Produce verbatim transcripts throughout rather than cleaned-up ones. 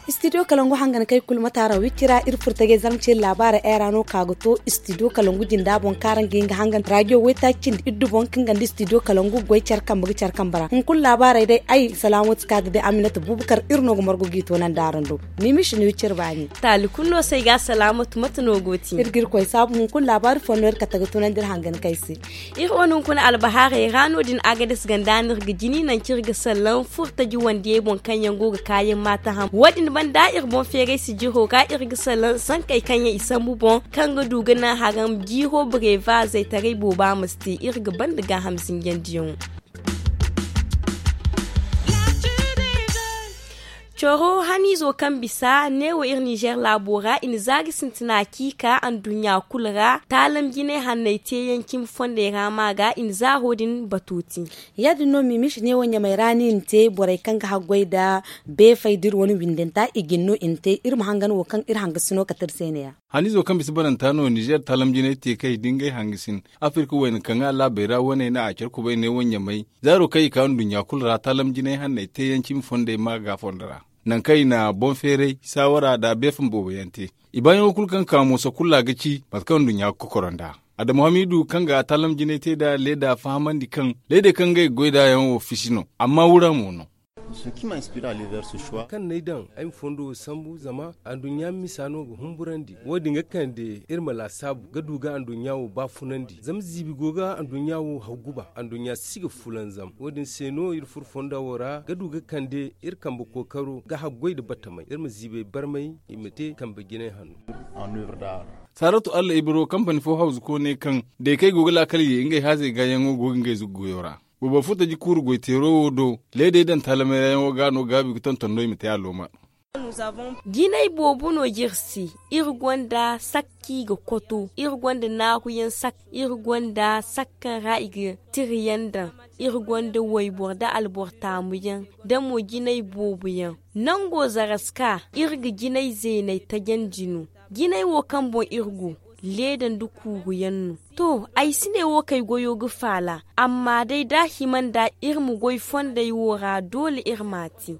Istidiyo kalangu hangan kay kulu mataara wicira iri furtagay zarma ce laabaara era no ka ga to istidiyo kalangu jinda boŋ kaara nga nga hangan rajo waytaaci cindi iddu boŋ kaŋ ganda istidiyo kalangu goy care kambe ga care kambe ra hunkuna laabaaray day ay salaamatu ka ga day aminata bubakar iri no ga margu g'i toonandi araŋ do. Mimishi no iri cire baani. Taali kulu no se ay ga salaamatu mate no go ti iri ga iri koy saabu hunkuna laabaari fondo iri kate ga toonandi iri hangan kay se. Iri wane hunkuna albahaarey ra no- din agades ganda no iri ga jini nangu kaŋ iri ga sallaŋ furtaji wandiyey boŋ kaŋ yaŋ go ga kaayaŋ maata ham wo- din banda iri boŋ feeray sijiro ga iri ga sallaŋ sankey kaŋ yaŋ i sambu boŋ kaŋ ga du ga naŋ haram jiiro bareevaazey taray booba ma si te iri ga banda gaaham zinjandiyaŋo. Coro haniizo kaŋ bisa neewo iri ninzeer laabo ra i na zaari sintina ciika anduɲɲa kulu ra taalam jinay hanney teeyaŋ cimi fondey ra ma ga i na zaaro din batu te. Ya- din no miimiisi neewo ɲamey ra no i na te borey kaŋ ga haggoy nda beefey da iri wane windanta i ga ni no i na te iri ma hangan wo kaŋ iri hangasino kate iri se ne- ya. Haniizo kaŋ bisa bananta no ninzeer taalam jinay te kay da ngey hangasin afirka wayna kaŋ a laabey ra waney na a care kubay neewo ɲamey zaaro kaŋ i ka nduɲɲa kulu ra taalam jinay hanney teeyaŋ cimi fondey ma ga fondo ra nangu kaŋ i na boŋ feeray saawara nda beefam boobo yaŋ te. I baayaŋo kulu kaŋ ka mooso kulu ra ga ci mate kaŋ nduɲɲa ga kokoro nd'a. Adama hamiidu kaŋ ga taalam jinay te nd'a leeda fahamandi kaŋ leedey kaŋ ngey ga goy nd'a yaŋ wo fisi no amma wura mo no. Kaŋ n'ay daŋ ay ma fondo wo sambu zama anduɲɲa misa no ga humburandi wo- din ga kande iri ma laasaabu ga du ga anduɲɲa wo baafunandi zama ziibi go ga anduɲɲa wo hawguba anduɲɲa si ga fulanzam wo- din se no iri furo fonda wo ra ga du ga kande iri kambe kookaro ga haggoy nda batamey iri ma ziibey barmay i ma te kambe jinay hanno. Saaratu allah ibro kampani fo hawzu koone kaŋ day kaŋ ay go ga laakal ye ngey haazey gaayaŋo go ga ngey zuggoyo ra. Boobo furtaji kuuru goyteero wo do leedey daŋ taalamay ra yaŋo ga no gaabi ga tonton no i ma te a looma. Jinay boobo no ga iri se iri gonda sakka i ga koto iri gonda naaruyaŋ sakka iri gonda sakka kaŋ ra i ga tirayaŋ daŋ iri gonda wayboro nda alboro taamuyaŋ nda mo jinay booboyaŋ. Nango zaraska iri ga jinay zeeney tajandi no. Jinay wo kaŋ boŋ iri go leeda nda kuuruyaŋ no. To ay si ne wo kaŋ ay goyo ga faala amma day da a hima nda iri ma goy fondey wo ra doole iri m'a te.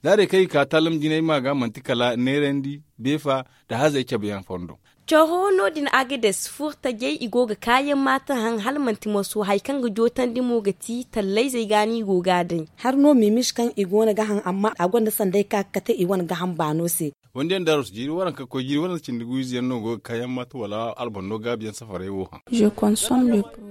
Zaarey kaŋ i ka taalam jinay ma ga manti kala neerandi beefa nda hazey cabeyaŋ fondo. Coro no- din agades furtajey i go ga kaayaŋ maata haŋ hala manti moso hari kaŋ ga jootandi mo ga ti tallayzey ga no i go ga a day. Hari no miimiisi kaŋ i go no ga haŋ amma a gonda sanday ka ga kate i wane ga haŋ baano se. Wanda yaŋ daarus jiiri waranka koy jiiri waranka cindi guwiize yaŋ no go ga kaayaŋ maata wala albando gaabi yaŋ safaray wo haŋ.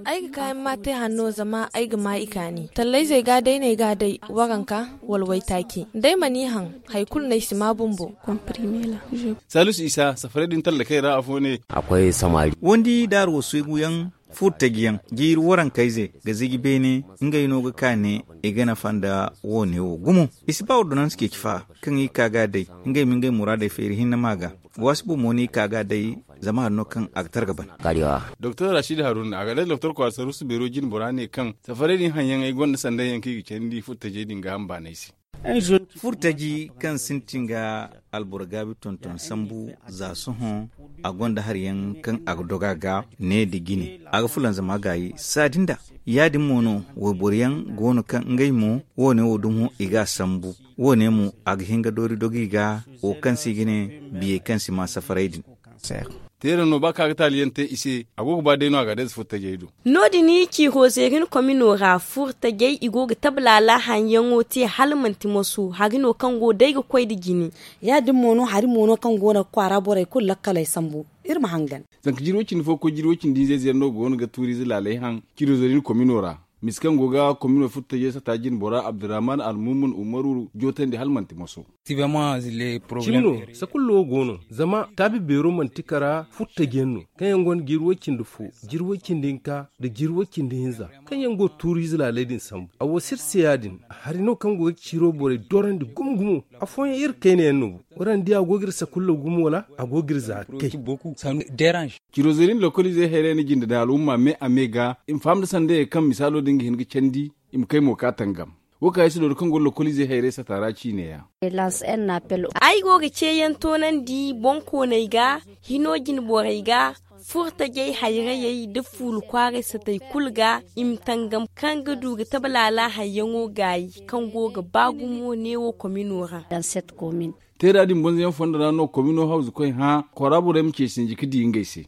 Ay ga kaayaŋ maata hanno zama ay ga ma i kaani tallayzey ga day no ay ga a day waranka wala waytaaci da ay mana i haŋ hari kulu no ay si ma bumbo. Saalisu isa safaray din tallakey ra afo ne. Wandi daaru wasu yaŋ furtaji yaŋ jiiri warankayze ga ziji beene ngey no ga ka ne i ga nafa nda wo- ne wo gumo. I si ba ordonanse ceeci fa kaŋ i ka ga a day ngey ma ngey muraadey feeri hinne ma ga waasi boŋ mo no i ka ga a day. Zama hari no kaŋ a ga targa bana. Doktor rashid haruna a ga day doktor kwaara saruusu beero jine bora ne kaŋ safaray din haŋ yaŋ ay gonda sanday yaŋ kaŋ i ga candi furtajey din ga hamba no ay se. Furtaji kaŋ sintin ga alboro gaabi tonton sambu za sohõ a gonda hari yaŋ kaŋ a ga doga ga ne nda jine a ga fulanzama gaayi saadi nda ya- din mo no wayboro yaŋ go no kaŋ ngey mo wo- ne wo dumo i ga a sambu wo- ne mo a ga hin ga doori dogi ga wo kaŋ se i ga ne biyey kaŋ si ma safaray din. Teera no ba kaŋ a ga taali yaŋ te i se a go ga ba day no a ga a day za furtajey do. No- din ciiro zeerin komino ra furtajey i go ga tablaala haŋ yaŋo te hala manti moso hari no kaŋ go day ga koy nda jine. Ya- din mo no hari mo no kaŋ go no ga kwaara borey kulu lakkaley sambu. Iri ma hangan. Zanka jiiri way- cindi fo ga koy jiiri way- cindi hinza ize yaŋ no go no ga tuuriize laaley haŋ ciiro zeerin komino ra. Mise kaŋ go ga komino furtajey sata jine bora abdurrahman almumun umaru jootandi hala manti moso. Cimi no sakullo wo go no zama taabi beero manti kara furtaji yaŋ no kaŋ yaŋ gonda jiiri way- cindi fo, jiiri way- cindi hinka nda jiiri way- cindi hinza kaŋ yaŋ go ga tuuriize laaley din sambu a wo sirse ya- din. Hari no kaŋ go ga ciiro borey dorandi gumo gumo. Afooyaŋ iri kayna yaŋ no bo. Waraŋ di a go ga iri sakullo gumo wala a go ga iri za kay. Ciiro zeerin lokoliizey hayray na jinde daŋ al'umma me a me ga i ma faham nda sandayey kaŋ misaalo din ga hin ga candi i ma kay mo ka tangam. Wo kaŋ ay si doori kaŋ go lokoliizey hayray sata ra ciine yaŋ. Ay go ga ceeyaŋ toonandi boŋkooney ga, hino jine borey ga, furtajey hayrayey nda fuulu kwaaray satey kulu ga i ma tangam kaŋ ga du ga tabe laala hayyaŋo gaayi kaŋ go ga ba gumo neewo komino ra. Teera din bonzoyaŋ fondo ra no komino hawzu koy hã, kora borey ma ce sinji ga di ngey se.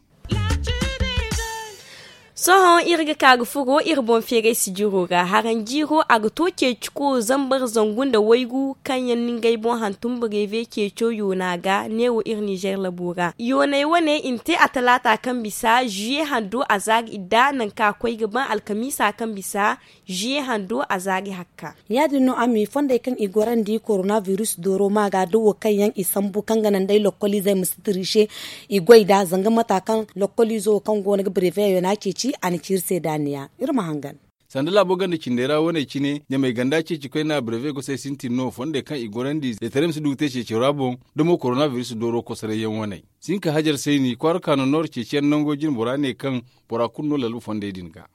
Sohõ iri ga ka ga furo iri boŋ feeray sijiro ra haraŋ jiiro a ga to ceeciko zambar zangu nda waygu kaŋ yaŋ na ngey boŋ hantum bareeve ceeco yoona ga neewo iri nizer labo ra yooney wane i na te a talaata kaŋ bisa ziye hando a zaari idda nangu kaŋ a koy ga baŋ alkamiisa kaŋ bisa ziye hando a zaari hakka. Ya- din no a ma i fondey kaŋ i gorandi korona biris dooro ma ga da wo kaŋ yaŋ i sambu kaŋ ga naŋ day lokkoliizey ma si tiriise i goy nd'a zanga mata kaŋ lokkoliizo wo kaŋ go no ga bareeveyaŋ yoona ceeci a na ci iri se daaniya. Iri ma hangan. Sanda laabo ganda cindey ra wane cine ɲamay ganda ceeci koyna bareeve gosey sintin no fondey kaŋ i gorandi zaytaray ma si du ga te ceeci ra boŋ da mo korona biris dooro kosorayyaŋ waney. Sinka hajar sayni kwaara kaano nooro ceeciyaŋ nango jine bora ne kaŋ bora kulu no lalba fondey din ga.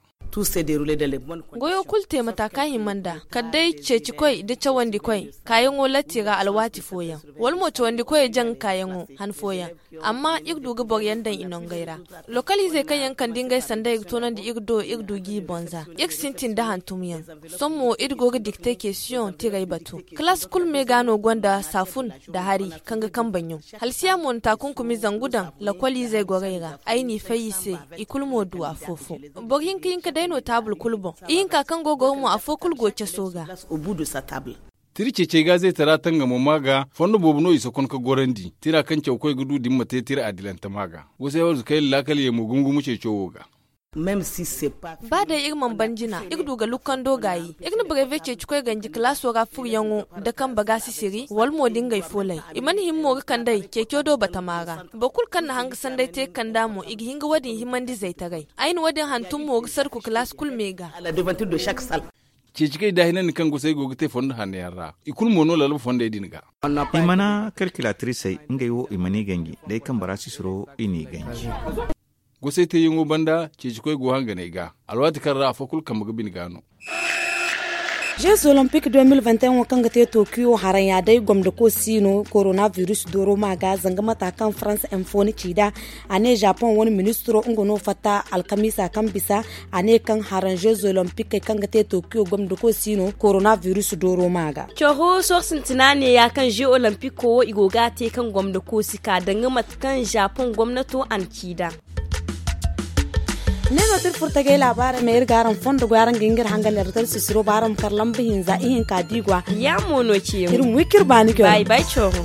Goyo kulu te mata kaŋ hima nd'a kala day ceecikoy nda cawandikoy kaayaŋo latti ra alwaati fooyaŋ wala mo cawandikoyey jaŋ kaayaŋo han fooyaŋ. Amma iri du ga boro yaŋ daŋ i nongey ra lokaliizey kaŋ yaŋ kande ngey sanday ga toonandi iri do iri du g'i bonza. Iri sintin nda hantumyaŋ. Sohõ mo iri go ga dikte kesiyoŋ tirey batu. Kalaas kulu me ga no gonda saafun nda hari kaŋ ga kambe ɲun. Halsiya mo na taakunkumi zangu daŋ lakoliizey gorey ra ay n'i fay i se. I kulu mo du afo-fo. Boro hinka hinka day no taabul kulu boŋ. Ihinka kaŋ go goro mo afo kulu go caso ga. Tira ceecey ga zaytara tangamo ma ga fondo boobo no i sokon ka gorandi tira kaŋ cawkoy ga du da ni ma te tira adilante ma ga. Gosay warzu kayna laakal ye mo gungumu ceeco wo ga. Ba day iri mana ban jina iri du ga lukkando gaayi iri na bareeve ceecikoy ganji kalaaso ra furyaŋo nda kambe ga sisiri wala mo da ngey foolay. I mana hima mo ga kand'ey ceeco do batama ra. Boro kulu kaŋ na hanga sanday te ga kand'a mo i ga hin ga wo- din himandi zaytaray. Ay na wo- din hantum mo ga sarku kalaas kulu me ga. Ceeci kaŋ i daahinandi kaŋ gosey go ga te fondo hanno yaŋ ra i kulu mo no lalba fondey din ga. I mana kalkilatirisey ngey wo i mana i ganji day kaŋ bora sisiro i n'i ganji. Gosey teeyaŋo banda ceecikoy go hanganey ga alwaati kaŋ ra afo kulu kambe ga bine ga no. Jeez olympique deux mille vingt et un wo kaŋ ga te tokiyo haraŋ ya day gomdako si no korona virus dooro ma ga zanga mata kaŋ farans info ni ci nd'a. A ne japon wane ministiro nga no fatta alkamiisa kaŋ bisa. A ne kaŋ haraŋ jeez olympique kaŋ ga te tokiyo gomdako si no korona virus dooro ma ga. Coro soohõ sintina ne ya kaŋ jeez olympique wo i go ga a te kaŋ gomdako si ka danga mate kaŋ japon gomnato a na ci nd'a. Ne no ti iri furo tagay laabaarey ma iri ga araŋ fondo goy araŋ ga hin ga iri hangan iri tara sisiro ba araŋ ma kar lamba hinza ihinka da i go a. Ya mo no ce iri ma wi kaŋ iri baani coro.